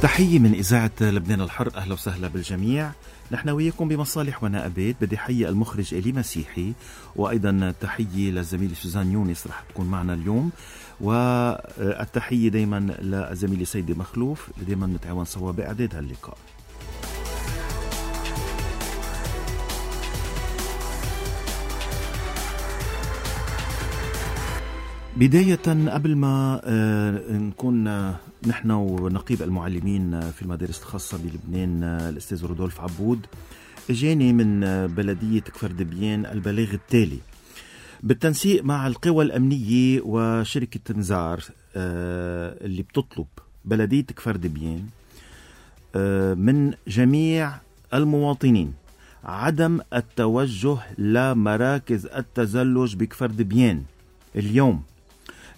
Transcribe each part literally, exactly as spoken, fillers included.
تحية من إذاعة لبنان الحر، أهلا وسهلا بالجميع. نحن وياكم بمصالح ونائبات. بدي حيي المخرج إلي مسيحي، وأيضا تحية للزميلة سوزان يونس رح تكون معنا اليوم، والتحية دايما للزميلة سيدة مخلوف اللي دايما نتعاون سوا بإعداد هاللقاء. بداية قبل ما نكون نحن ونقيب المعلمين في المدارس الخاصة بلبنان الأستاذ رودولف عبود، اجاني من بلدية كفر دبيان البلاغ التالي: بالتنسيق مع القوى الأمنية وشركة نزار اللي بتطلب بلدية كفر دبيان من جميع المواطنين عدم التوجه لمراكز التزلج بكفر دبيان اليوم،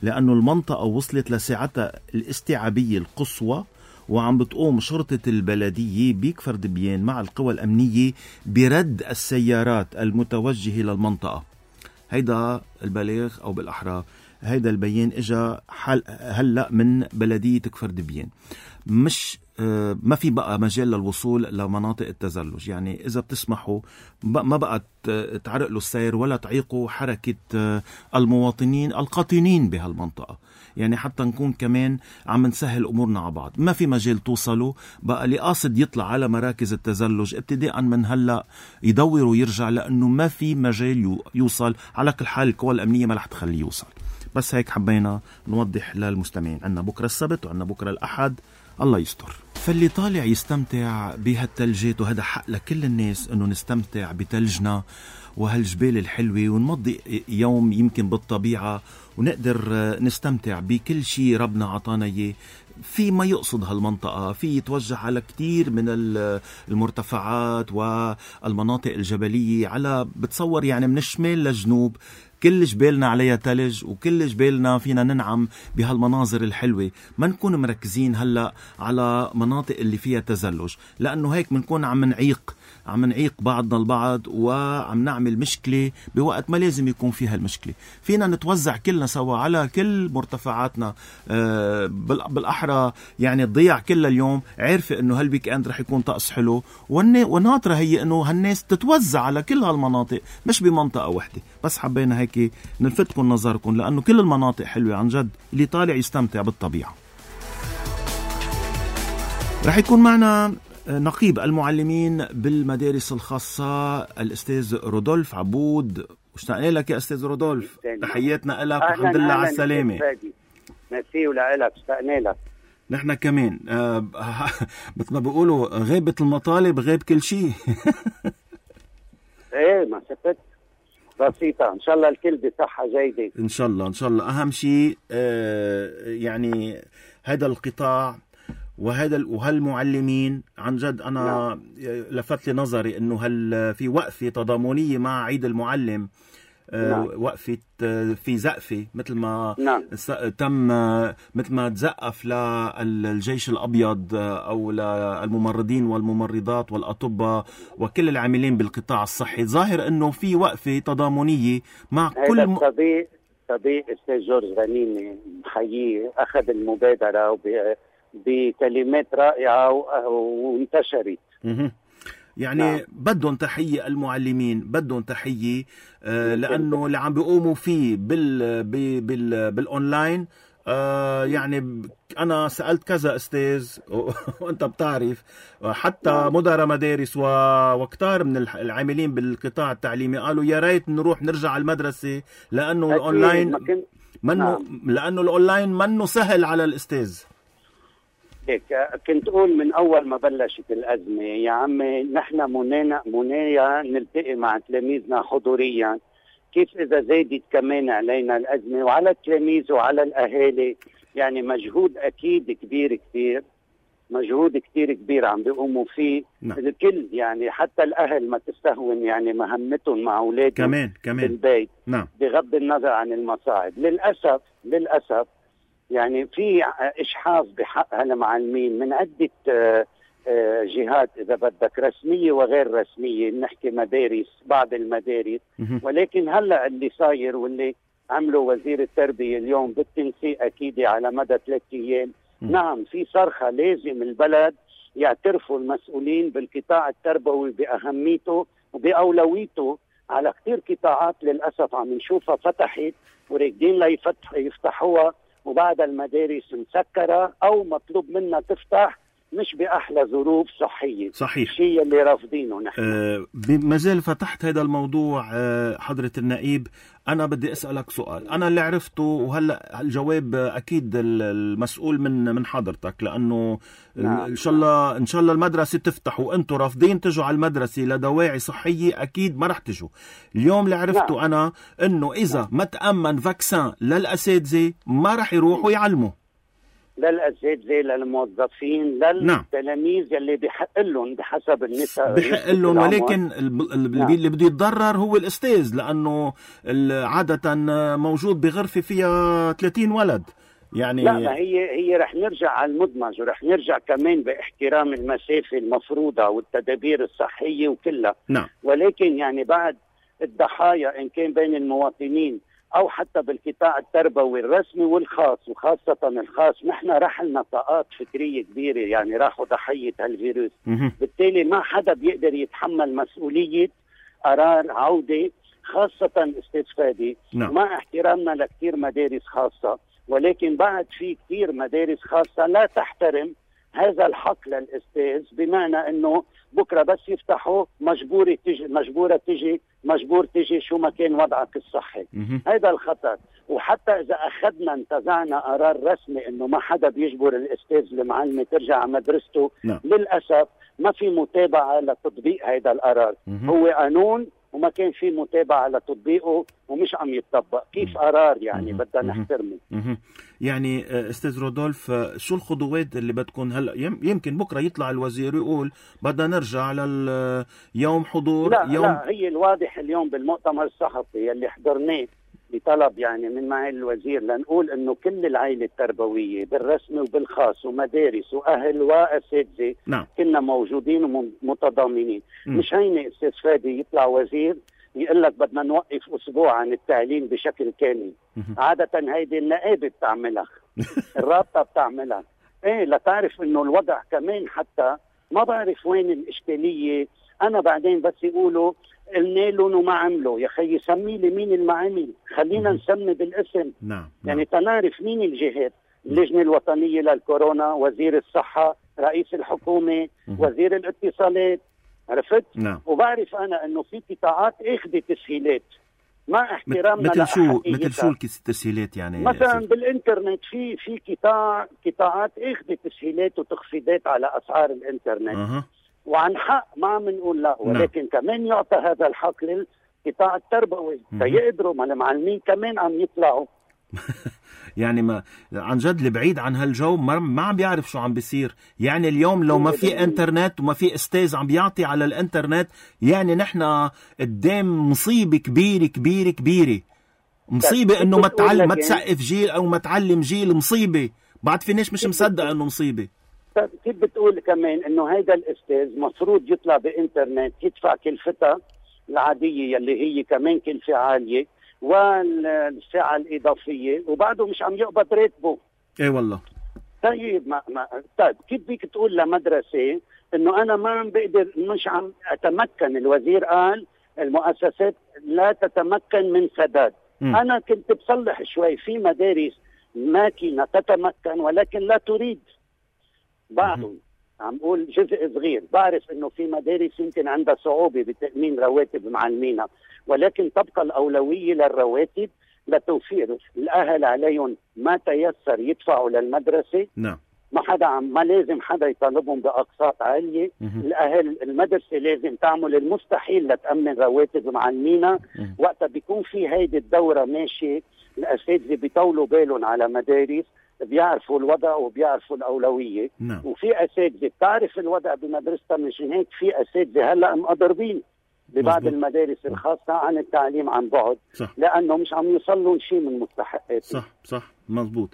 لأنه المنطقة وصلت لساعتها الاستيعابية القصوى، وعم بتقوم شرطة البلدية بكفر دبيان مع القوى الأمنية برد السيارات المتوجهة للمنطقة. هيدا البلاغ أو بالأحرى هيدا البيان إجا هلأ من بلدية كفر دبيان. مش ما في بقى مجال للوصول لمناطق التزلج، يعني إذا بتسمحوا ما بقى تعرقلوا السير ولا تعيقوا حركة المواطنين القاطنين بهالمنطقة، يعني حتى نكون كمان عم نسهل أمورنا على بعض. ما في مجال توصلوا بقى، اللي قاصد يطلع على مراكز التزلج ابتداء من هلأ يدور ويرجع، لأنه ما في مجال يوصل. على كل حال القوى الأمنية ما رح تخليه يوصل. بس هيك حبينا نوضح للمستمعين. عنا بكرة السبت وعنا بكرة الأحد، الله يستر. فاللي طالع يستمتع بهالتلجات، وهذا حق لكل الناس انه نستمتع بتلجنا وهالجبال الحلوة، ونمضي يوم يمكن بالطبيعة ونقدر نستمتع بكل شيء ربنا عطانا اياه. في ما يقصد هالمنطقة، في يتوجه على كتير من المرتفعات والمناطق الجبلية، على بتصور يعني من الشمال للجنوب كل جبالنا عليها تلج، وكل جبالنا فينا ننعم بهالمناظر الحلوة. ما نكون مركزين هلأ على مناطق اللي فيها تزلج، لأنه هيك منكون عم نعيق عم نعيق بعضنا البعض، وعم نعمل مشكلة بوقت ما لازم يكون فيها المشكلة. فينا نتوزع كلنا سوا على كل مرتفعاتنا آه بالأحرى، يعني تضيع كل اليوم عارفة انه هالويك اند رح يكون طقس حلو، والناطرة هي انه هالناس تتوزع على كل هالمناطق مش بمنطقة واحدة. بس حبينا هيك نلفتكم نظركم، لأنه كل المناطق حلوة عن جد، اللي طالع يستمتع بالطبيعة. رح يكون معنا نقيب المعلمين بالمدارس الخاصة الأستاذ رودولف عبود. اشتقنا لك يا أستاذ رودولف، تحياتنا لك والحمد لله على السلامة. ميرسي ولك، اشتقنا لك. نحن كمان آه مثل ما بيقولوا غيبة المطالب غيب كل شيء. ايه ما شفت بسيطة، إن شاء الله الكل بصحة جيدة إن شاء الله إن شاء الله. أهم شيء آه يعني هذا القطاع وهذا وهالمعلمين عن جد. أنا نعم. لفت لي نظري إنه هل في وقفة تضامنية مع عيد المعلم، آه نعم. وقفة في زقفة مثل ما نعم. تم مثل ما تزقف للجيش الأبيض أو للممرضين والممرضات والأطباء وكل العاملين بالقطاع الصحي. ظاهر أنه في وقفة تضامنية مع كل م... صديق صديق أستاذ جورج غنيمي محييه، أخذ المبادرة وب... بكلمات رائعة وانتشرت. يعني نعم. بدهم تحية المعلمين، بدهم تحية آه لأنه اللي عم بيقوموا فيه بال بال بالأونلاين. آه يعني أنا سألت كذا أستاذ وأنت بتعرف، حتى نعم. مدراء مدارس وكتار من العاملين بالقطاع التعليمي قالوا يا ريت نروح نرجع على المدرسة، لأنه الأونلاين منه نعم. لأنه الأونلاين منه سهل على الأستاذ. كنت أقول من أول ما بلشت الأزمة يا عمي نحن منانا منايا نلتقي مع تلاميذنا حضوريا، كيف إذا زادت كمان علينا الأزمة وعلى التلاميذ وعلى الأهالي. يعني مجهود أكيد كبير كتير، مجهود كتير كبير عم بيقوموا فيه نعم. الكل يعني حتى الأهل ما تستهون يعني مهمتهم مع أولادهم كمان كمان بالبيت نعم. بغض النظر عن المصاعب. للأسف للأسف يعني في إشحاف بحق هالمعلمين من عدة جهات إذا بدك، رسمية وغير رسمية، نحكي مدارس بعض المدارس. ولكن هلأ اللي صاير واللي عمله وزير التربية اليوم بالتنسيق أكيد على مدى ثلاثة أيام م. نعم في صرخة، لازم البلد يعترفوا المسؤولين بالقطاع التربوي بأهميته وبأولويته على كتير قطاعات للأسف عم نشوفها فتحت وراكدين ليفتح يفتحوها وبعد المدارس مسكرة أو مطلوب منها تفتح مش بأحلى ظروف صحية. صحيح، الشيء اللي رافضينه نحن. أه ما زال فتحت هذا الموضوع. أه حضرة النائب، أنا بدي أسألك سؤال، أنا اللي عرفته وهلأ الجواب أكيد المسؤول من من حضرتك، لأنه نعم. إن شاء الله إن شاء الله المدرسة تفتح وأنتوا رافضين تجوا على المدرسة لدواعي صحية، أكيد ما رح تجوا. اليوم اللي عرفته نعم. أنا إنه إذا ما تأمن فاكسان للأساتذة ما رح يروحوا يعلموا، للأساتذة، للموظفين، للتلاميذ يلي بحق لهم بحسب النساء بحق لهم، ولكن نعم. اللي بده يتضرر هو الأستاذ، لأنه عادة موجود بغرفة فيها ثلاثين ولد. يعني لا، ما هي هي رح نرجع على المدمج ورح نرجع كمان باحترام المسافة المفروضة والتدابير الصحية وكلها نعم. ولكن يعني بعد الضحايا إن كان بين المواطنين أو حتى بالقطاع التربوي الرسمي والخاص، وخاصة الخاص نحن رحلنا طاقات فكرية كبيرة، يعني راحوا ضحية هالفيروس. بالتالي ما حدا بيقدر يتحمل مسؤولية قرار عودة، خاصة استاذ فادي نعم. مع احترامنا لكثير مدارس خاصة، ولكن بعد في كثير مدارس خاصة لا تحترم هذا الحق للأستاذ، بمعنى أنه بكرة بس يفتحوا مجبورة تجي مجبورة تجي مجبور تجي شو ما كان وضعك الصحي. هذا الخطر. وحتى إذا أخذنا انتزعنا قرار رسمي أنه ما حدا بيجبر الأستاذ المعلمة ترجع على مدرسته لا. للأسف ما في متابعة لتطبيق هذا القرار. هو قانون وما كان في متابعة لتطبيقه ومش عم يتطبق. كيف قرار يعني بدنا نحترمه. يعني استاذ رودولف، شو الخطوات اللي بدكم هلا؟ يمكن بكره يطلع الوزير يقول بدنا نرجع على يوم حضور. لا يوم لا، هي الواضح اليوم بالمؤتمر الصحفي اللي حضرناه بطلب يعني من معالي الوزير لنقول انه كل العائله التربويه بالرسمي وبالخاص ومدارس واهل واساتذه نعم. كنا موجودين ومتضامنين. مش هيني استاذ فادي يطلع وزير يقول لك بدنا نوقف اسبوع عن التعليم بشكل كامل. عاده هيدي النقابه بتعملها الرابطه بتعملها، ايه لتعرف انه الوضع كمان حتى ما بعرف وين الاشكاليه. انا بعدين بس يقولوا قلنا لهم وما عملوا، يا خي سمي لي مين المعامل، خلينا نسمي بالاسم. نعم. يعني تنعرف مين الجهات، اللجنه الوطنيه للكورونا، وزير الصحه، رئيس الحكومه، وزير الاتصالات، عرفت؟ نعم. وبعرف انا انه في قطاعات اخذت تسهيلات مع احترامنا مثل شو مثل شو التسهيلات يعني؟ مثلا بالانترنت في في قطاع قطاعات اخذت تسهيلات وتخفيضات على اسعار الانترنت. أه. وعن حق ما عم نقول لا، ولكن نعم. كمان يعطى هذا الحق للقطاع التربوي فيقدروا، ما المعلمين كمان عم يطلعوا. يعني ما عن جد اللي بعيد عن هالجو ما, ما عم بيعرف شو عم بيصير. يعني اليوم لو ما في انترنت وما في استاذ عم بيعطي على الانترنت، يعني نحن قدام مصيبة كبيرة كبيرة كبيرة. مصيبة انه ما تعلم ما تسقف جيل او ما تعلم جيل، مصيبة بعد في ناس مش مصدق انه مصيبة. كيف بتقول كمان انه هيدا الاستاذ مفروض يطلع بانترنت يدفع كلفتها العادية يلي هي كمان كلفة عالية والساعة الإضافية وبعده مش عم يقبض راتبه. ايه والله. طيب ما, ما طيب كيف بدك تقول لمدرسة انه انا ما عم بقدر مش عم اتمكن؟ الوزير قال المؤسسات لا تتمكن من سداد. م. انا كنت بصلح شوي في مدارس ماكينة تتمكن ولكن لا تريد. بعضهم عم قول جزء صغير، بعرف انه في مدارس يمكن عندها صعوبة بتأمين رواتب معلمينها، ولكن تبقى الأولوية للرواتب لتوفير الأهل عليهم ما تيسر يدفعوا للمدرسة. نعم. ما حدا عم ما لازم حدا يطالبهم بأقساط عالية. مه. الأهل المدرسة لازم تعمل المستحيل لتأمن رواتب معلمينها. وقتها بيكون في هيدي الدورة ماشية، الأساتذة بيطولوا بالهم على مدارس بيعرفوا الوضع وبيعرفوا الأولوية. نعم. وفي أساتذة بتعرف الوضع بمدرستها، مشان هيك في أساتذة هلأ مقدربين ببعض مزبوط. المدارس الخاصة عن التعليم عن بعد. صح. لأنه مش عم يوصلون شيء من مستحقات. صح صح مزبوط.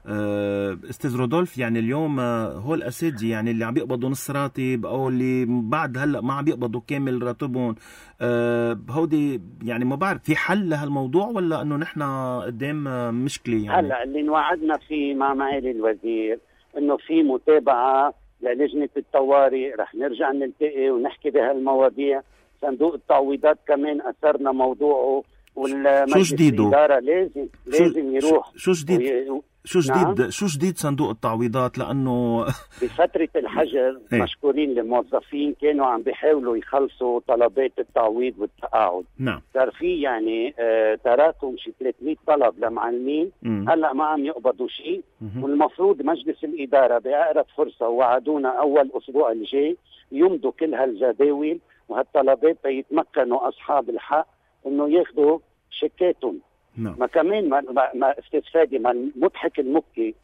أه استاذ رودولف، يعني اليوم هو الأساتذة يعني اللي عم يقبضوا نص راتب او اللي بعد هلا ما عم يقبضوا كامل راتبهم، أه هودي يعني ما بعرف في حل لهالموضوع ولا انه نحن قدام مشكلة؟ يعني هلا اللي نوعدنا فيه مع معالي الوزير انه في متابعه للجنه الطوارئ، رح نرجع نلتقي ونحكي بهالمواضيع. صندوق التعويضات كمان اثرنا موضوعه، والمجلس الاداره لازم لازم يروح. شو جديد وي... شو جديد نعم؟ شو جديد صندوق التعويضات؟ لانه بفتره الحجر مشكورين الموظفين كانوا عم بيحاولوا يخلصوا طلبات التعويض والتقاعد. نعم. صار في يعني آه تراكم شي ثلاثمية طلب لمعلمين، هلا ما عم يقبضوا شيء، والمفروض مجلس الاداره باقرب فرصه وعدونا اول اسبوع الجاي يمضوا كل هالجداول وهالطلبات ليتمكنوا اصحاب الحق انه ياخذوا شيكاتهم. نعم. ما كمان ما, ما استاذ فادي، ما المضحك المبكي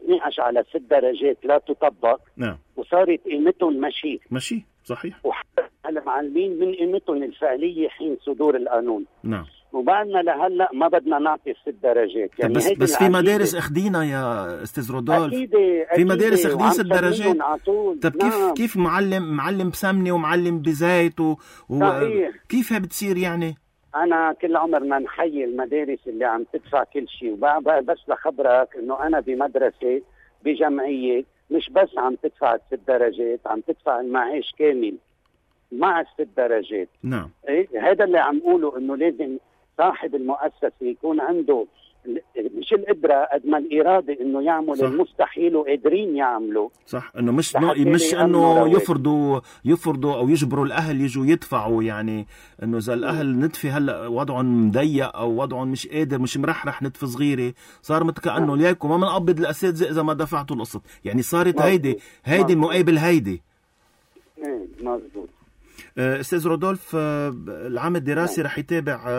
نقش على ست درجات لا تطبق. نعم. وصارت قيمتهم مشي مشي صحيح، وحتى المعلمين من قيمتهم الفعليه حين صدور القانون. نعم. وبعدنا لهلا ما بدنا نعطي الست درجات يعني. بس بس في مدارس اخدينا يا استاذ رودولف. أكيد في مدارس اخدين ست درجات. طب كيف نعم. كيف معلم معلم بسمنه ومعلم بزيت و... و... كيف بتصير يعني؟ أنا كل عمرنا نحيي المدارس اللي عم تدفع كل شيء، وبقى بس لخبرك إنه أنا بمدرسة بجمعية مش بس عم تدفع الست درجات، عم تدفع المعاش كامل مع الست درجات. نعم. إيه هذا اللي عم قوله، إنه لازم صاحب المؤسسة يكون عنده مش القدرة قد ما الإرادة إنه يعمل المستحيل وقادرين يعملوا. صح، إنه مش مش إنه يفرضوا يفرضوا أو يجبروا الأهل يجوا يدفعوا، يعني إنه إذا الأهل ندفي هلا وضعهم مضيق أو وضعهم مش قادر مش مرحرح ندفي صغيرة، صار مثل كأنه ليكم ما بنقبض الأساتذة إذا ما دفعتوا القسط، يعني صارت هيدي هيدي مقابل هيدي. إيه مظبوط. استاذ رودولف، العام الدراسي رح يتابع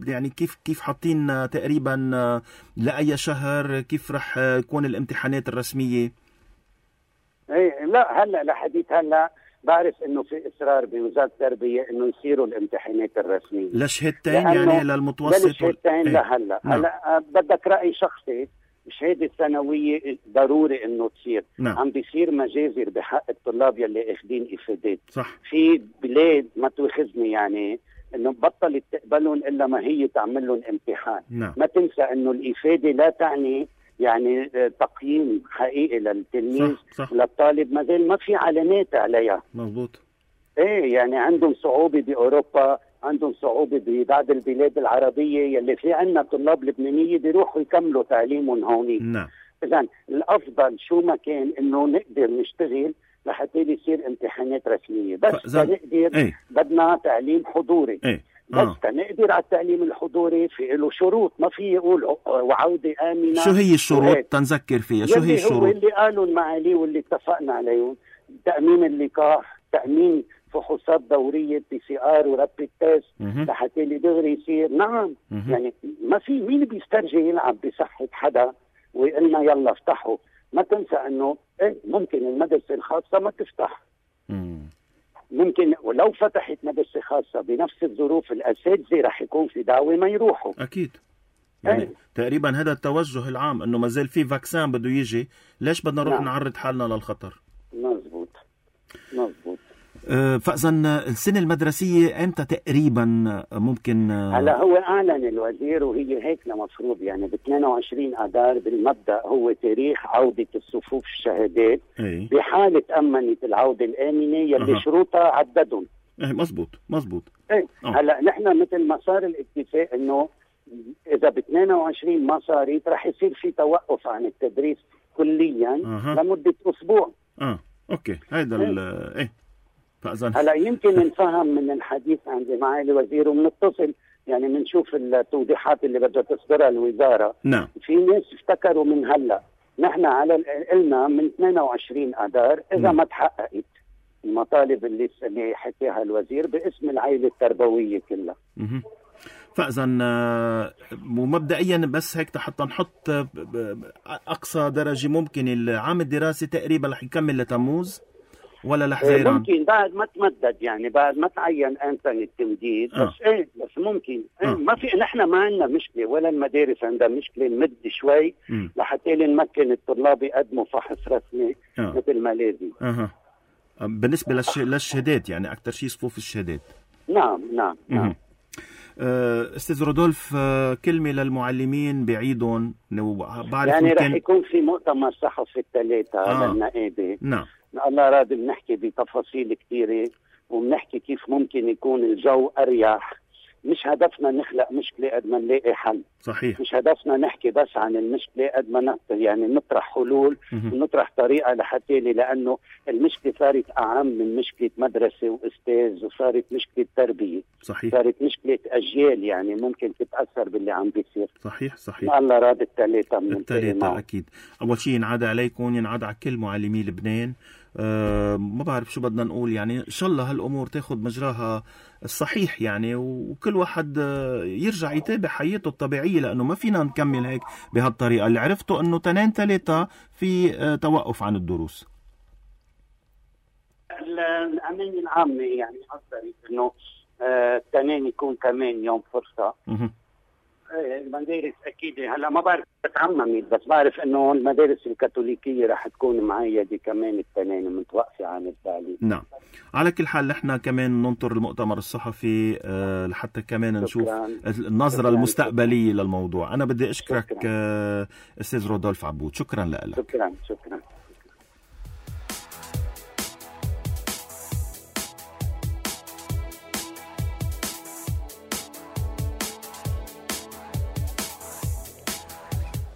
يعني كيف كيف حاطين تقريبا لاي شهر؟ كيف رح يكون الامتحانات الرسميه؟ ايه لا هلا لحديث هلا بعرف انه في اصرار بوزاره التربيه انه يصيروا الامتحانات الرسميه لشهادتين يعني للمتوسط لشهادتين ايه؟ لهلا. نعم. هلا بدك راي شخصي، الشهاده الثانويه ضروري انه تصير. نعم. عم بيصير مجازر بحق الطلاب يلي اخذين افادات. صح. في بلاد ما تواخذني يعني انه بطلت تقبلهم الا ما هي تعمل لهم امتحان. نعم. ما تنسى انه الافاده لا تعني يعني تقييم حقيقي للتلميذ. صح. صح. للطالب ما زال ما في علامات عليها. مضبوط. ايه يعني عندهم صعوبه باوروبا، عندهم صعوبه ببعض البلاد العربيه يلي في عندنا طلاب لبنانيه بيروحوا يكملوا تعليمهم هون. نعم. اذا الافضل شو ما كان انه نقدر نشتغل لحتى يصير امتحانات رسميه، بس تنقدر ايه؟ بدنا تعليم حضوري. ايه؟ بس آه. تنقدر على التعليم الحضوري في له شروط، ما في يقول وعوده امنه. شو هي الشروط تنذكر فيها؟ شو هي الشروط؟ هو اللي قالوا المعالي واللي اتفقنا عليهم: تامين اللقاح، تامين فحوصات دوريه بي سي ار ورابيد تيست لحتى اللي دغري يصير. نعم. مه. يعني ما في مين بيسترجي يلعب بصحه حدا ويقلنا يلا افتحوا. ما تنسى انه ايه ممكن المدرسه الخاصه ما تفتح. مم. ممكن ولو فتحت مدرسه خاصه بنفس الظروف الاساتذه رح يكون في دعوه ما يروحوا. اكيد. يعني ايه. تقريبا هذا التوجه العام انه ما زال في فاكسان بده يجي، ليش بدنا نروح نعم. نعرض حالنا للخطر؟ مزبوط مزبوط. فإذا السنة المدرسية امتى تقريبا ممكن؟ هلا هو اعلن الوزير وهي هيك المفروض يعني ب اثنين وعشرين اذار بالمبدا هو تاريخ عوده الصفوف الشهادات. ايه؟ بحاله امنت العوده الامنه يلي أه. شروطها عددهم. ايه مزبوط مزبوط. ايه أه. هلا نحن مثل ما صار الاتفاق انه اذا ب اثنين وعشرين ما صارت رح يصير في توقف عن التدريس كليا أه. لمده اسبوع. اه اوكي هيدا ال ايه فأذن. هلا يمكن نفهم من الحديث عند معالي الوزير وبنتصل يعني بنشوف التوضيحات اللي بدها تصدرها الوزاره. نعم. في ناس افتكروا من هلا، نحن على قلنا من اثنين وعشرين اذار اذا نعم. ما تحققت المطالب اللي اللي حكيها الوزير باسم العائله التربويه كلها. اها فاذا ومبدئيا بس هيك حتى نحط اقصى درجه ممكن العام الدراسي تقريبا رح يكمل لتموز ولا لحزيران؟ ممكن بعد ما تمدد يعني بعد ما تعين امتى التمديد. آه. بس ايه بس ممكن ايه آه. ما في نحن ما عندنا مشكله ولا المدارس عندها مشكله نمد شوي لحتى نمكن الطلاب يقدموا فحص رسمي آه. مثل ما لازم. اها بالنسبه للش... للشهادات يعني اكثر شيء صفوف الشهادات. نعم نعم نعم. أستاذ رودولف، كلمة للمعلمين بعيدهم. يعني رح يكون في مؤتمر صحفي الثلاثة آه. للنقابة. نعم. الله راضي بنحكي بتفاصيل كثيرة، وبنحكي كيف ممكن يكون الجو أريح. مش هدفنا نخلق مشكلة قد ما نلاقي حل. صحيح. مش هدفنا نحكي بس عن المشكلة قد ما يعني نطرح حلول ونطرح طريقة لحتى لي، لأنه المشكلة صارت أعم من مشكلة مدرسة وأستاذ، وصارت مشكلة تربية. صحيح. صارت مشكلة أجيال يعني ممكن تتأثر باللي عم بيصير. صحيح صحيح. الله راضي الثلاثة من الثلاثة أكيد. أول شيء ينعاد عليكم، ينعاد على كل معلمي لبنان. أه ما بعرف شو بدنا نقول، يعني إن شاء الله هالأمور تاخد مجراها الصحيح يعني، وكل واحد يرجع يتابع حياته الطبيعية، لأنه ما فينا نكمل هيك بهالطريقة. اللي عرفته أنه تنين ثلاثة في توقف عن الدروس. الأمانة العامة يعني أصدرت أنه تنين يكون كمان يوم فرصة. المدارس أكيد هلا ما بعرف بتعممت، بس بعرف إنه المدارس الكاثوليكية رح تكون معيدة كمان التنين متوقفة عن التعليم. نعم. على كل حال نحن كمان ننطر المؤتمر الصحفي أه لحتى كمان نشوف النظرة شكراً. المستقبلية شكراً. للموضوع. أنا بدي أشكرك أه أستاذ رودولف عبود، شكرا لك. شكرا شكرا.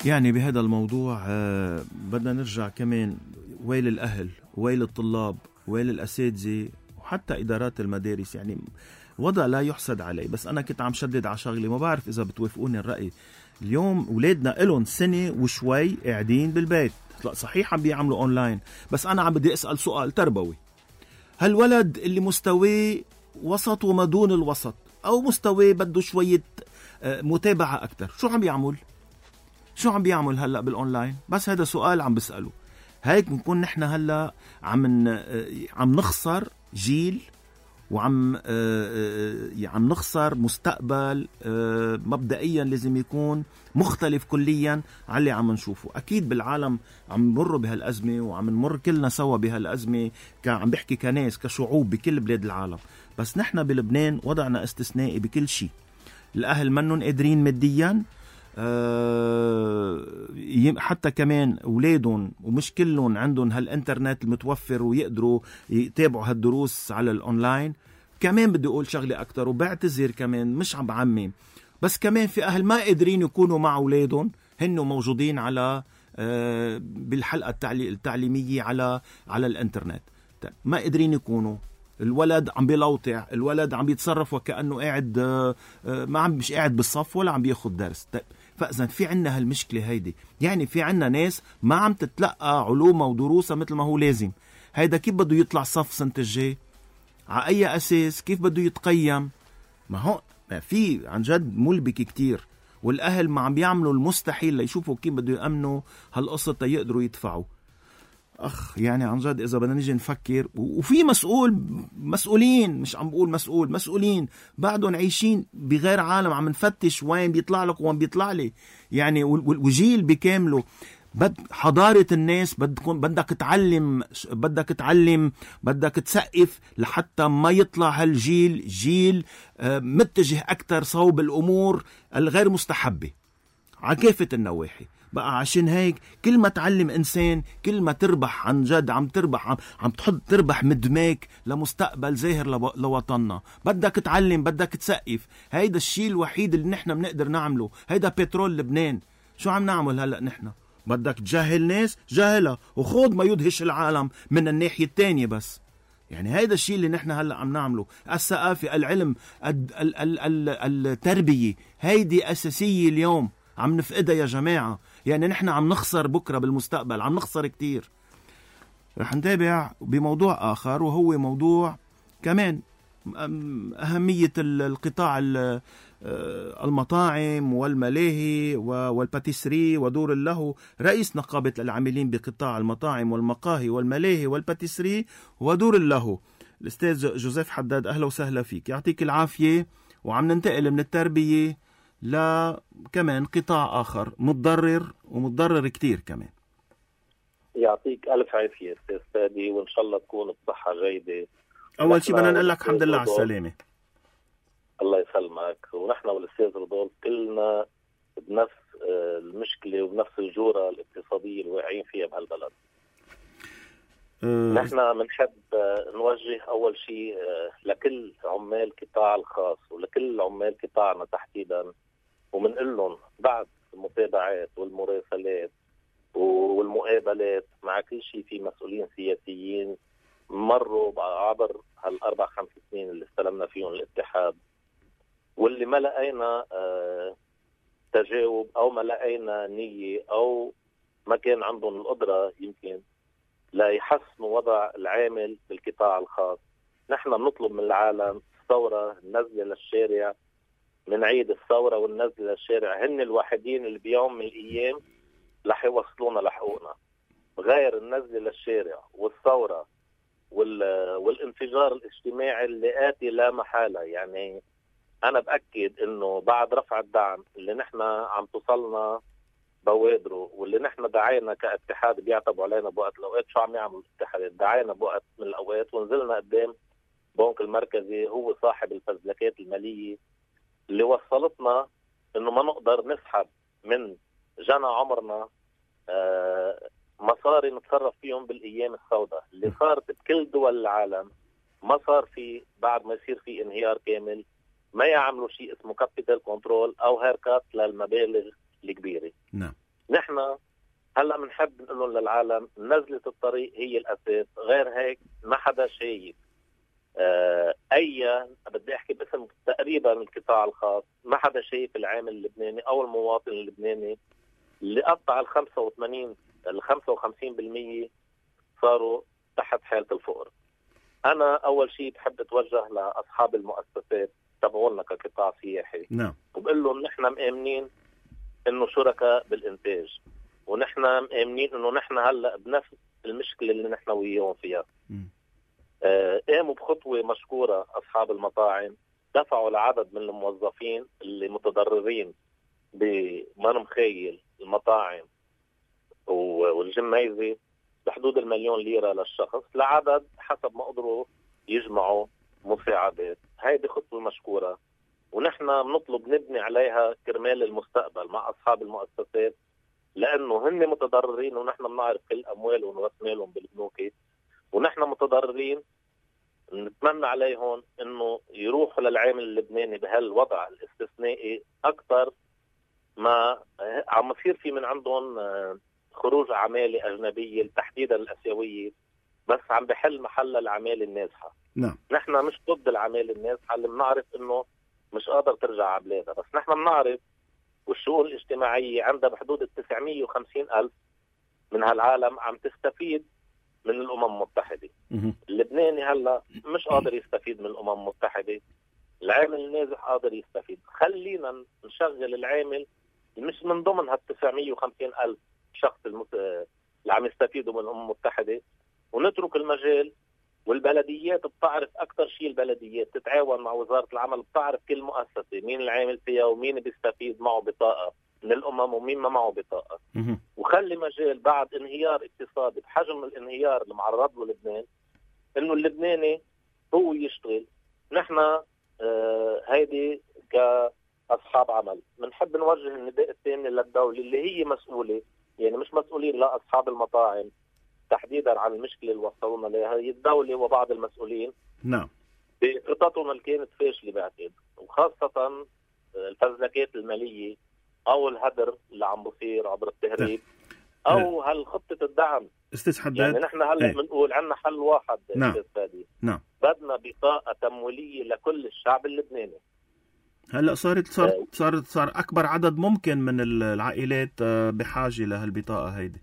يعني بهذا الموضوع آه بدنا نرجع كمان ويل الأهل، ويل الطلاب، ويل الأساتذة، وحتى إدارات المدارس. يعني وضع لا يحسد عليه. بس أنا كنت عم شدد على شغلي، ما بعرف إذا بتوافقوني الرأي. اليوم أولادنا إلهم سنة وشوي قاعدين بالبيت، صحيح عم بيعملوا أونلاين، بس أنا عم بدي أسأل سؤال تربوي. هالولد اللي مستواه وسط وما دون الوسط، أو مستواه بده شوية آه متابعة أكتر، شو عم بيعمل؟ شو عم بيعمل هلأ بالأونلاين؟ بس هذا سؤال عم بسأله. هيك بنكون نحن هلأ عم عم نخسر جيل، وعم عم نخسر مستقبل مبدئيا لازم يكون مختلف كليا عن اللي عم نشوفه. أكيد بالعالم عم نمر بهالأزمة، وعم نمر كلنا سوا بهالأزمة، عم بحكي كناس كشعوب بكل بلاد العالم. بس نحن بلبنان وضعنا استثنائي بكل شيء. الأهل منهم قادرين ماديا، أه حتى كمان أولادهم ومش كلهم عندهم هالإنترنت المتوفر ويقدروا يتابعوا هالدروس على الأونلاين. كمان بدي أقول شغلة أكتر، وبعتذر كمان مش عم بعمم، بس كمان في أهل ما قادرين يكونوا مع أولادهم، هنو موجودين على أه بالحلقة التعليمية على على الإنترنت، ما قادرين يكونوا. الولد عم بيلوطع، الولد عم بيتصرف وكأنه قاعد أه ما عم مش قاعد بالصف ولا عم بياخد درس. فإذا في عنا هالمشكلة هيدي، يعني في عنا ناس ما عم تتلقى علومها ودروسها مثل ما هو لازم. هيدا كيف بده يطلع صف سنة الجاي؟ على أي أساس؟ كيف بده يتقيم؟ ما هو ما في عن جد ملبكة كتير، والأهل ما عم بيعملوا المستحيل ليشوفوا كيف بده يأمنوا هالقصة يقدروا يدفعوا. أخ يعني عن جد إذا بدنا نيجي نفكر، وفي مسؤول مسؤولين، مش عم بقول مسؤول مسؤولين بعدهم عايشين بغير عالم، عم نفتش وين بيطلع لك وين بيطلع لي يعني، وجيل بكامله. بد حضارة الناس بدكم بدك تعلم بدك تعلم بدك تسقف لحتى ما يطلع هالجيل جيل متجه أكتر صوب الأمور الغير مستحبة على كافة النواحي. بقى عشان هيك كل ما تعلم إنسان كل ما تربح عن جد، عم تربح عم, عم تحط تربح مدماك لمستقبل زاهر لوطننا. بدك تعلم، بدك تسقف. هيدا الشيء الوحيد اللي نحن بنقدر نعمله. هيدا بترول لبنان. شو عم نعمل هلأ نحن؟ بدك تجاهل ناس جاهلة، وخوض ما يدهش العالم من الناحية التانية. بس يعني هيدا الشيء اللي نحن هلأ عم نعمله. الثقافة، العلم، ال ال ال ال التربية، هيدي أساسية اليوم عم نفقدها يا جماعة. يعني نحن عم نخسر بكرة بالمستقبل، عم نخسر كتير. رح نتابع بموضوع آخر، وهو موضوع كمان أهمية القطاع المطاعم والملاهي والباتيسري ودور اللهو. رئيس نقابة العاملين بقطاع المطاعم والمقاهي والملاهي والباتيسري ودور اللهو الأستاذ جوزيف حداد، أهلا وسهلا فيك، يعطيك العافية. وعم ننتقل من التربية لا كمان قطاع آخر متضرر ومتضرر كتير كمان. يعطيك ألف عافية أستاذ فادي، وإن شاء الله تكون الصحة جيدة. أول شيء بدنا نقول لك الحمد لله على السلامة. الله يسلمك. ونحن والاستاذ رودولف كلنا بنفس المشكله وبنفس الجوره الاقتصاديه اللي واقعين فيها بهالبلد. أه نحن بنحب نوجه اول شيء لكل عمال القطاع الخاص ولكل عمال قطاعنا تحديدا، وبنقول لهم بعد المتابعات والمراسلات والمقابلات مع كل شيء في مسؤولين سياسيين مروا عبر هالاربع خمس سنين اللي استلمنا فيهم الاتحاد، واللي ما لقينا آه تجاوب او ما لقينا نية او ما كان عندهم القدرة يمكن لا يحسنوا وضع العامل بالقطاع الخاص. نحن بنطلب من العالم الثورة، النزلة للشارع، من عيد الثورة والنزلة للشارع، هن الوحيدين اللي بيوم من الايام رح يوصلونا لحقوقنا. غير النزلة للشارع والثورة والانفجار الاجتماعي اللي آتي لا محالة. يعني أنا بأكد إنه بعد رفع الدعم اللي نحن عم توصلنا بوادره واللي نحن دعينا كاتحاد بيعتبوا علينا بوقت الأوقات، شو عم يعمل الاتحاد؟ دعينا بوقت من الأوقات ونزلنا قدام بنك المركزي هو صاحب الفزلكات المالية اللي وصلتنا إنه ما نقدر نسحب من جنى عمرنا آه مصاري نتصرف فيهم بالأيام السوداء اللي صارت بكل دول العالم. ما صار في بعد ما يصير في انهيار كامل ما يعملوا شيء اسمه كابيتال كنترول أو هيركات للمبالغ الكبيرة. نعم. نحن هلأ بنحب نقول للعالم نزلة الطريق هي الأساس، غير هيك ما حدا شايف آه أي بدي أحكي باسم تقريبا القطاع الخاص، ما حدا شايف العامل اللبناني أو المواطن اللبناني اللي قطع ال خمسة وثمانين ال خمسة وخمسين بالمية صاروا تحت حالة الفقر. أنا أول شيء بحب أتوجه لأصحاب المؤسسات تبعولنا كقطاع سياحي. نعم. وبقول لهم نحن مآمنين إنه شركاء بالإنتاج، ونحن مآمنين إنه نحن هلأ بنفس المشكلة اللي نحن وياهم فيها. آه قاموا بخطوة مشكورة أصحاب المطاعم، دفعوا لعدد من الموظفين اللي متضررين بمن مخيل المطاعم والجميزة بحدود المليون ليرة للشخص لعدد حسب ما قدروا يجمعوا مساعدات. هيدي خطوة مشكورة ونحن بنطلب نبني عليها كرمال المستقبل مع أصحاب المؤسسات، لأنه هن متضررين ونحن بنعرف كل أموالهم ورسمالهم بالبنوك، ونحن متضررين. نتمنى عليهم إنه يروحوا للعامل اللبناني بهالوضع الاستثنائي أكثر ما عم يصير في من عندهم خروج عمالة أجنبية تحديدا الأسيوية، بس عم بحل محل العمالة النازحة. نعم. نحن مش ضد العمالة النازحة اللي بنعرف إنه مش قادر ترجع على بلادها، بس نحن بنعرف والشؤون الاجتماعية عندها بحدود التسعمية وخمسين ألف من هالعالم عم تستفيد من الأمم المتحدة. اللبناني هلا مش قادر يستفيد من الأمم المتحدة، العامل النازح قادر يستفيد. خلينا نشغل العامل مش من ضمن هالتسعمية وخمسين ألف شخص المت... اللي عم يستفيدوا من الأمم المتحدة، ونترك المجال. والبلديات بتعرف أكتر شيء، البلديات تتعاون مع وزارة العمل، بتعرف كل مؤسسة مين العامل فيها ومين بيستفيد معه بطاقة من الأمم ومين ما معه بطاقة. وخلي مجال بعد انهيار اقتصادي بحجم الانهيار اللي معرض له لبنان إنه اللبناني هو يشتغل. نحن آه هيدي كأصحاب عمل بنحب نوجه النداء الثاني للدولة اللي هي مسؤولة، يعني مش مسؤولين لا أصحاب المطاعم تحديدا عن المشكلة اللي وصلونا لها، هي الدولة وبعض المسؤولين. نعم. بخططهم اللي كانت فاشلة بعتقد، وخاصة الفزلكات المالية أو الهدر اللي عم بصير عبر التهريب أو هالخطة الدعم. استاذ حداد، يعني نحن هلا بنقول عندنا حل واحد. نعم. نعم. بدنا بطاقة تمويلية لكل الشعب اللبناني. هلا صارت صارت صارت صار أكبر عدد ممكن من العائلات بحاجة لهالبطاقة هيدي.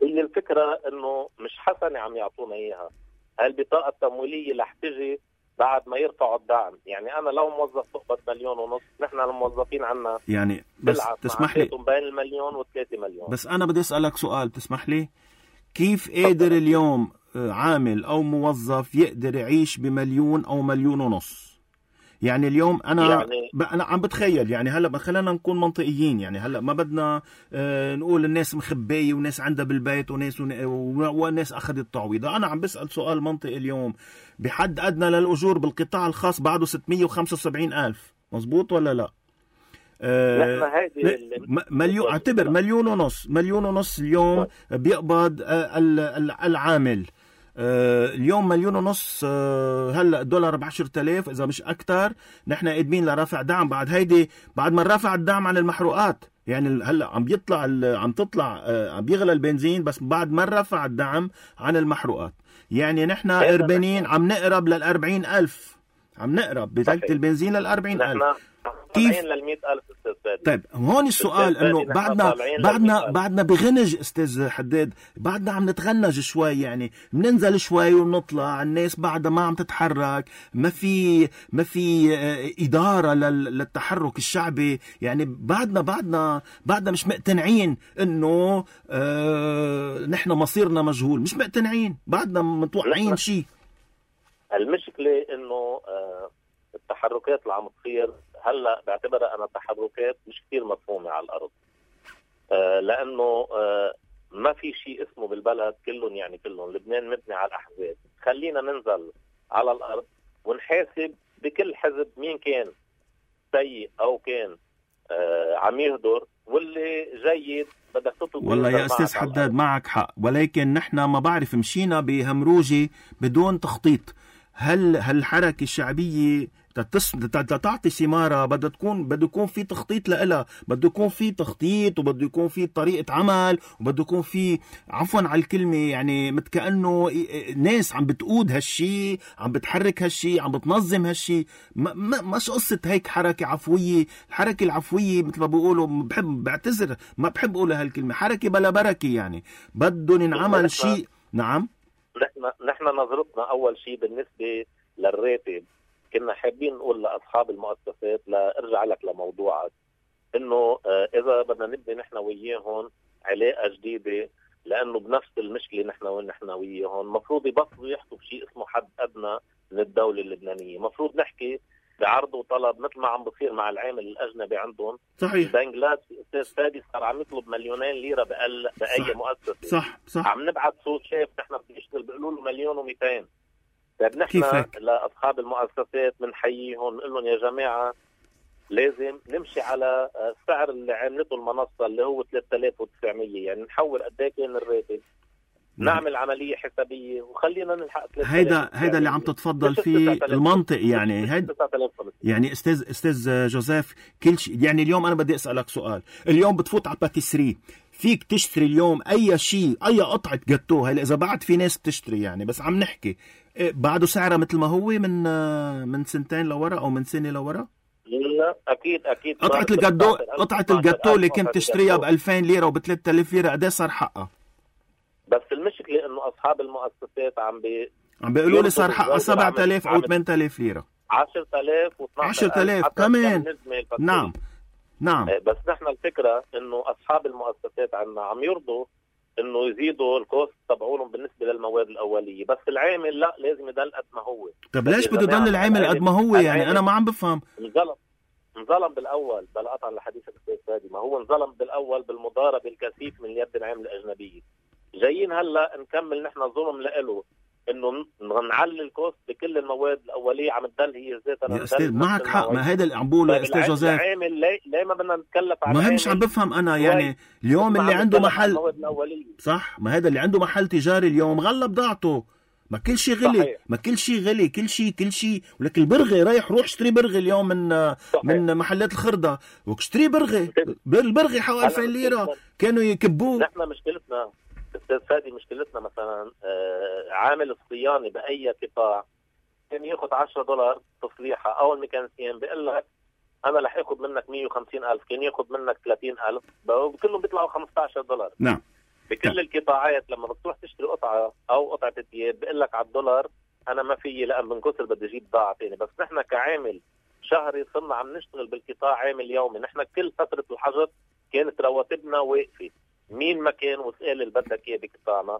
هي الفكرة إنه مش حسنة عم يعطونا إياها. هالبطاقة التمويلية رح تجي بعد ما يرفعوا الدعم. يعني أنا لو موظف تقبض مليون ونص، نحن الموظفين عنا يعني بس تسمح لي بين المليون وثلاثة مليون. بس أنا بدي أسألك سؤال تسمح لي، كيف قادر اليوم عامل أو موظف يقدر يعيش بمليون أو مليون ونص؟ يعني اليوم انا يعني انا عم بتخيل يعني هلا خلينا نكون منطقيين، يعني هلا ما بدنا آه نقول الناس مخبيه وناس عندها بالبيت وناس وناس اخذت تعويضه. انا عم بسال سؤال منطقي اليوم، بحد ادنى للاجور بالقطاع الخاص بعده ستمية وخمسة وسبعين ألف، مزبوط ولا لا؟ آه مليون، اعتبر مليون ونص، مليون ونص اليوم بيقبض العامل. اليوم مليون ونص، هلا الدولار بعشرة آلاف اذا مش اكتر. نحن قادمين لرفع دعم بعد هيدي، بعد ما رفع الدعم عن المحروقات. يعني هلا عم بيطلع عم تطلع عم بيغلى البنزين بس بعد ما رفع الدعم عن المحروقات. يعني نحن قربانين عم نقرب للأربعين ألف، عم نقرب بثلث البنزين للأربعين ألف. كيف للمئة ألف أستاذ؟ طيب هون السؤال انه بعدنا بعدنا بعدنا بغنج استاذ حداد، بعدنا عم نتغنج شوي، يعني بننزل شوي ونطلع، الناس بعدها ما عم تتحرك، ما في ما في إدارة للتحرك الشعبي. يعني بعدنا بعدنا بعدنا مش مقتنعين انه اه نحن مصيرنا مجهول، مش مقتنعين، بعدنا متوقعين شيء. المشكلة انه اه التحركات اللي عم تصير هلا بعتبرها انا تحركات مش كثير مفهومه على الارض، آه لانه آه ما في شيء اسمه بالبلد كلهم يعني كلهم. لبنان مبني على الاحزاب، خلينا ننزل على الارض ونحاسب بكل حزب مين كان سيء او كان آه عم يهدر، واللي جيد بدك تطلب. والله يا استاذ حداد معك حق، ولكن نحن ما بعرف مشينا بهمروجه بدون تخطيط. هل هالحركه الشعبيه تعطي ثمارة بدها تكون بده يكون في تخطيط لها، بده يكون في تخطيط وبده يكون في طريقة عمل وبده يكون في عفوا على الكلمة يعني مثل كأنه ناس عم بتقود هالشي، عم بتحرك هالشي، عم بتنظم هالشي. ما مش قصة هيك حركة عفوية. الحركة العفوية مثل ما بيقولوا، بحب بعتذر ما بحب أقول هالكلمة، حركة بلا بركة. يعني بدهم ينعمل شيء. نعم نحن نحن نظرتنا أول شيء بالنسبة للراتب، كنا حابين نقول لأصحاب المؤسسات، لأرجع لك لموضوعك، إنه إذا بدنا نبني نحن وياهم علاقة جديدة، لأنه بنفس المشكلة نحن ونحن وياهم، مفروض يبطلوا يحكوا بشيء اسمه حد أدنى من الدولة اللبنانية. مفروض نحكي بعرض وطلب مثل ما عم بصير مع العامل الأجنبي عندهم. صحيح. بنغلاديش أستاذ فادي صار عم يطلب مليونين ليرة بأقل بأي صح. مؤسسة. صح صح. عم نبعث صوت شاف نحن بنشتغل بيقولوا له مليون ومئتين. طيب نحن لأصحاب المؤسسات بنحييهم نقول لهم يا جماعة لازم نمشي على السعر اللي عملته المنصة اللي هو ثلاثة آلاف وتسعمية، يعني نحول قد ايه كان الراتب، نعمل عملية حسابية وخلينا نلحق. هيدا هيدا اللي عم تتفضل فيه المنطق. يعني هيدا يعني استاذ استاذ جوزيف كل شيء. يعني اليوم انا بدي اسالك سؤال، اليوم بتفوت على باتيسري فيك تشتري اليوم اي شيء، اي قطعة جاتو، هلا اذا بعد في ناس بتشتري يعني، بس عم نحكي بعده سعره مثل ما هو من من سنتين لورا او من سنة لورا؟ لا اكيد اكيد. قطعة الجاتو قطعة الجاتو اللي كنت تشتريها ب ألفين ليرة وب ثلاثة آلاف ليرة قد ايه صار حقها؟ بس المشكلة انه اصحاب المؤسسات عم بي عم بيقولوا لي صار حقها سبعة آلاف او ثمانية آلاف ليرة، عشرة آلاف واثناشر آلاف عشرة آلاف كمان. نعم نعم. بس نحن الفكرة انه اصحاب المؤسسات عنا عم يرضوا انه يزيدوا الكوست تبعولهم بالنسبة للمواد الاولية، بس العامل لا لازم يضل قد ما هو. طب ليش بده يضل العامل قد ما هو؟ يعني انا ما عم بفهم. انظلم انظلم بالاول، بلا قطع لحديثك استاذ فادي، ما هو انظلم بالاول بالمضاربة الكثيف من يد العامل الاجنبية. جايين هلا نكمل نحن ظلم لإله انه نعلي الكوست بكل المواد الاوليه، عم تضل هي ذاتها. يا استاذ معك حق، ما هيدا اللي عم بقوله يا استاذ جوزيف. العامل ليه ليه ما بدنا نتكلف على ما مش عم بفهم انا. يعني اليوم اللي عنده محل صح، ما هذا اللي عنده محل تجاري اليوم غلى بضاعته، ما كل شيء غلي. صحيح. ما كل شيء غلي، كل شيء كل شيء. ولك البرغي رايح روح اشتري برغي اليوم من صحيح. من محلات الخردة واشتري برغي، البرغي حوالي ألفين ليرة كانوا يكبوه. نحن مشكلتنا استاذ فادي، مشكلتنا مثلا آه عامل الصيانه باي قطاع كان ياخذ عشرة دولار تصليحه، او الميكانيسيان بيقول لك انا رح اخذ منك مية وخمسين ألف، كان ياخذ منك ثلاثين ألف، كلهم بيطلعوا خمسة عشر دولار. نعم. بكل نعم. القطاعات لما بتروح تشتري قطعه او قطعه ثياب بيقول لك على الدولار انا ما في، لان من كثر بدي اجيب بضاعه ثانيه. بس نحن كعامل شهري صرنا عم نشتغل بالقطاع عامل يومي، نحن كل فتره الحجر كانت رواتبنا واقفه، مين ما كان وسائل اللي بدك اياه بقطاعنا.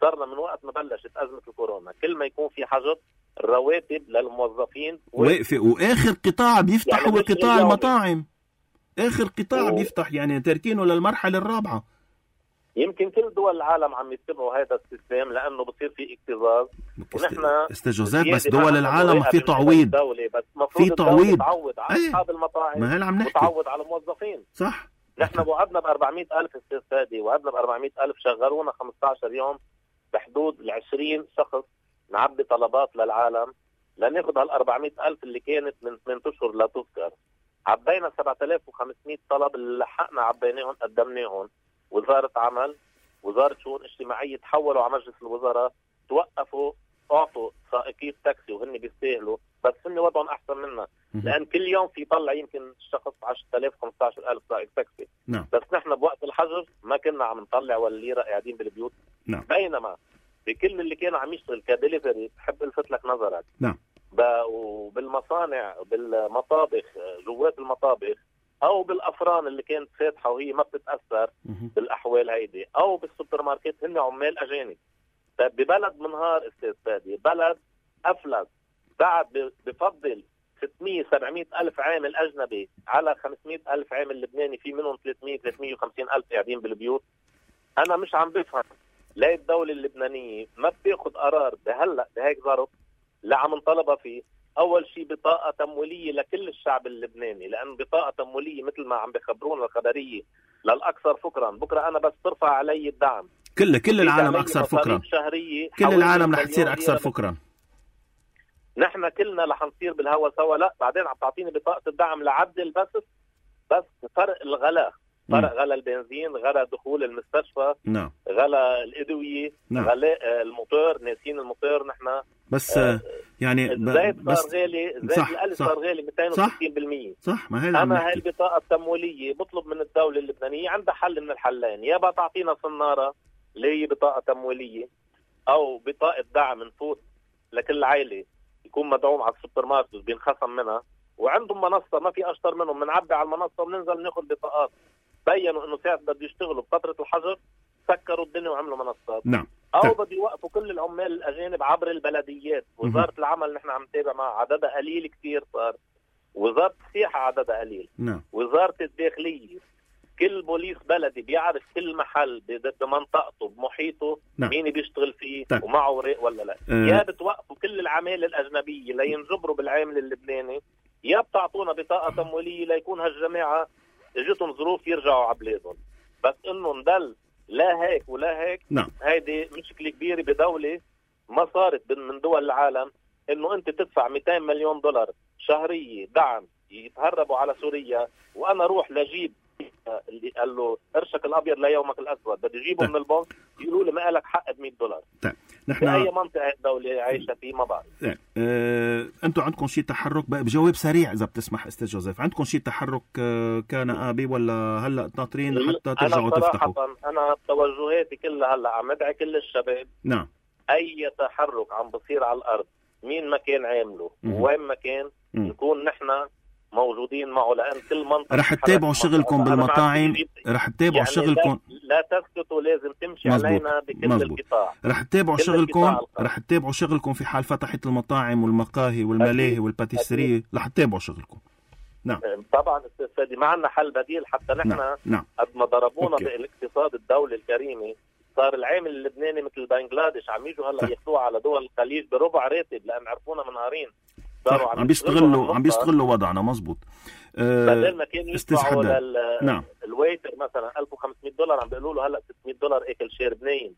صرنا من وقت ما بلشت ازمه الكورونا كل ما يكون في حجر الرواتب للموظفين واقفة. واخر قطاع بيفتح يعني هو قطاع المطاعم، اخر قطاع و... بيفتح يعني تركينه للمرحلة الرابعة. يمكن كل دول العالم عم يتبعوا هذا السيستم لانه بصير في اكتظاظ. ونحن استاذ جوزيف بس دول العالم في تعويض، بس في تعويض تعوض على اصحاب المطاعم، ما هل عم نحكي وتعوض على الموظفين. صح. نحن وعدنا ب أربعمية ألف استاذ فادي، وعدنا ب أربعمية ألف، شغلونا خمسة عشر يوم بحدود ال عشرين شخص نعبي طلبات للعالم لناخذ هال أربعمية ألف اللي كانت من ثمانية اشهر لا تذكر. عبينا سبعة آلاف وخمسمية طلب اللي لحقنا عبيناهم قدمناهم. وزارة عمل، وزارة شؤون اجتماعية تحولوا على مجلس الوزراء، توقفوا اعطوا سائقي تاكسي وهن بيستاهلوا، بس هن وضعهم احسن منا لان كل يوم في طلع يمكن الشخص عشرة آلاف خمسة عشر ألف سائق تاكسي. نعم. بس نحن بوقت الحجر ما كنا عم نطلع ولا ليره قاعدين بالبيوت. نعم. بينما بكل اللي كانوا عم يشتغل كدليفري، بحب الفت لك نظرك. نعم. وبالمصانع بالمطابخ جوات المطابخ او بالافران اللي كانت فاتحه وهي ما بتتاثر بالاحوال هيدي، او بالسوبر ماركت، هن عمال اجانب. طيب ببلد منهار استاذ فادي، بلد افلس بعد بفضل ستمية سبعمية الف عامل اجنبي على خمسمية الف عامل لبناني، في منهم ثلاثمية ثلاثمية وخمسين الف قاعدين بالبيوت. انا مش عم بفهم ليه الدوله اللبنانيه ما بتاخذ قرار بهلا بهيك ظرف اللي عم نطلبها فيه. اول شيء بطاقه تمويليه لكل الشعب اللبناني، لان بطاقه تمويليه مثل ما عم بخبرونا الخبريه للاكثر فكرا. بكره انا بس ترفع علي الدعم كل كل العالم اكثر فكرا، كل العالم رح تصير اكثر فكرا. نحن كلنا رح نصير بالهوا سوا. لا بعدين عم تعطيني بطاقه الدعم لعدل بس بس فرق الغلاء، فرق غلاء البنزين، غلاء دخول المستشفى، نعم، غلاء الادويه، نعم، غلاء الموتور، ناسين الموتور نحن. بس آه يعني الزيت صار غالي، الزيت الألف صار غالي مئتين وستين بالمية. صح. ما هي انا هاي البطاقه التمويليه بطلب من الدوله اللبنانيه عندها حل من الحلين، يا بقى تعطينا صناره اللي هي بطاقه تمويليه، او بطاقه دعم نفوت لكل عائله يكون مدعوم على السوبر ماركت بينخصم منها، وعندهم منصه ما في اشطر منهم، بنعبي على المنصه وبننزل ناخذ بطاقات. بينوا انه ساعه بده يشتغلوا بفتره الحجر سكروا الدنيا وعملوا منصات. نعم. او بده يوقفوا كل العمال الاجانب عبر البلديات. وزاره العمل نحن عم نتابع معها عددها قليل كثير صار. وزاره السياحه عددها قليل. نعم. وزاره الداخليه كل بوليس بلدي بيعرف كل محل بمنطقته بمحيطه نعم. مين بيشتغل فيه طيب. ومعه ورق ولا لا. أه. يا بتوقفوا كل العماله الاجنبيه لينجبروا بالعامل اللبناني، يا بتعطونا بطاقه تمويليه ليكون هالجماعه اجتهم ظروف يرجعوا على بلادهم. بس انه ندل لا هيك ولا هيك. نعم. هيدي مشكله كبيره بدوله ما صارت من دول العالم، انه انت تدفع مئتين مليون دولار شهريه دعم يتهربوا على سوريا، وانا روح لجيب اللي قال له قرشك الابيض ليومك الاسود بدي اجيبه من البنك، يقولوا لي ما لك حق ب مئة دولار. طيب نحن اي منطقه الدوله عايشه فيه ما بعرف. اه انتم عندكم شيء تحرك بجواب سريع اذا بتسمح استاذ جوزيف، عندكم شيء تحرك كان ابي ولا هلا ناطرين حتى ترجعوا تفتحوا؟ انا توجهاتي كلها هلا عم ادعي كل الشباب. نعم. اي تحرك عم بصير على الارض مين ما كان عامله وين ما كان نكون نحن موجودين معه، لان كل منطقه رح تتابعوا شغلكم بالمطاعم، رح تتابعوا يعني شغلكم، لا, لا تسكتوا، لازم تمشي مزبوط. علينا بكل مزبوط. القطاع رح تتابعوا شغلكم، رح تتابعوا شغلكم في حال فتحت المطاعم والمقاهي والملاهي والباتيسري، رح تتابعوا شغلكم. نعم طبعا استاذ فادي ما عندنا حل بديل. حتى نحن نعم. نعم. قد ما ضربونا بالاقتصاد الدولي الكريمي، صار العامل اللبناني مثل بنغلاديش عم يجوا هلا ياخذوه على دول الخليج بربع راتب لان عرفونا منهارين. صح. عم بيستغلوا عم بيستغلوا وضعنا. مزبوط. أه بدل ما كان يدفعوا لل نعم. الويتر مثلا ألف وخمسمية دولار عم بيقولوا له هلا ستمية دولار اكل شير بنين.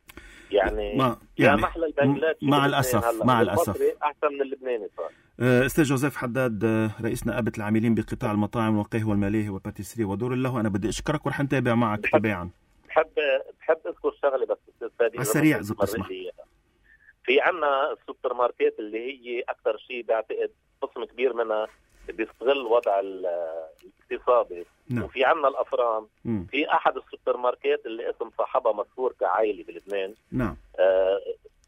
يعني ما يعني محل البنغلاديش مع الاسف مع الاسف احسن من اللبناني صار. استاذ جوزيف حداد رئيس نقابه العاملين بقطاع المطاعم والمقاهي والملاهي والباتيسري ودور الله، انا بدي اشكرك ورح نتابع معك تباعا. بحب بحب اذكر شغله بس استاذ فادي على السريع اذا بتسمح. في عنا السوبر ماركت اللي هي اكثر شيء بعتقد قسم كبير منها بيستغل وضع الاقتصادي. نعم. وفي عنا الافران. م. في احد السوبر ماركت اللي اسم صاحبها مشهور كعائلي بلبنان. نعم. آه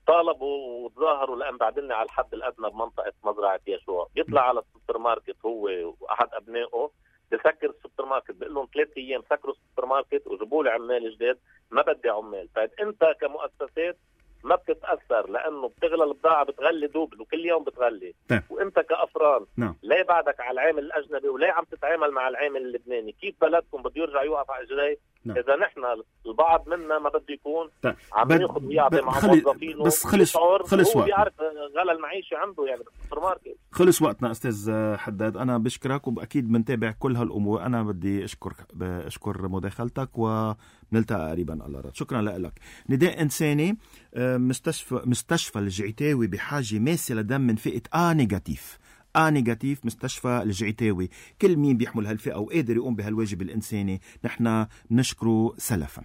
طالبوا وتظاهروا لان بعدني على الحد الادنى بمنطقه مزرعه يشوع، بيطلع على السوبر ماركت هو واحد ابنائه بسكر السوبر ماركت، بقول لهم ثلاث ايام سكروا السوبر ماركت وجيبوا لي عمال جداد، ما بدي عمال. طيب انت كمؤسسات ما بتتاثر لانه بتغلى البضاعه، بتغلي دوبل وكل يوم بتغلي. طيب. وانت كافران نعم. ليه بعدك على العامل الاجنبي وليه عم تتعامل مع العامل اللبناني؟ كيف بلدكم بده يرجع يوقف على اجريه؟ نعم. اذا نحن البعض منا ما بده يكون طيب. عم ياخذ ويعطي مع موظفينه، بس خلص خلص هو وقت بيعرف غلى المعيشه عنده يعني بالسوبر ماركت. خلص وقتنا استاذ حداد، انا بشكرك واكيد بنتابع كل هالامور. انا بدي اشكر اشكر مداخلتك ونلتقي قريبا على رد. شكرا لك. نداء انساني، مستشفى مستشفى الجعيتاوي بحاجه ماسه لدم من فئه ا نيجاتيف. ا نيجاتيف مستشفى الجعيتاوي. كل مين بيحمل هالفئه وقادر يقوم بهالواجب الانساني نحن نشكره سلفا.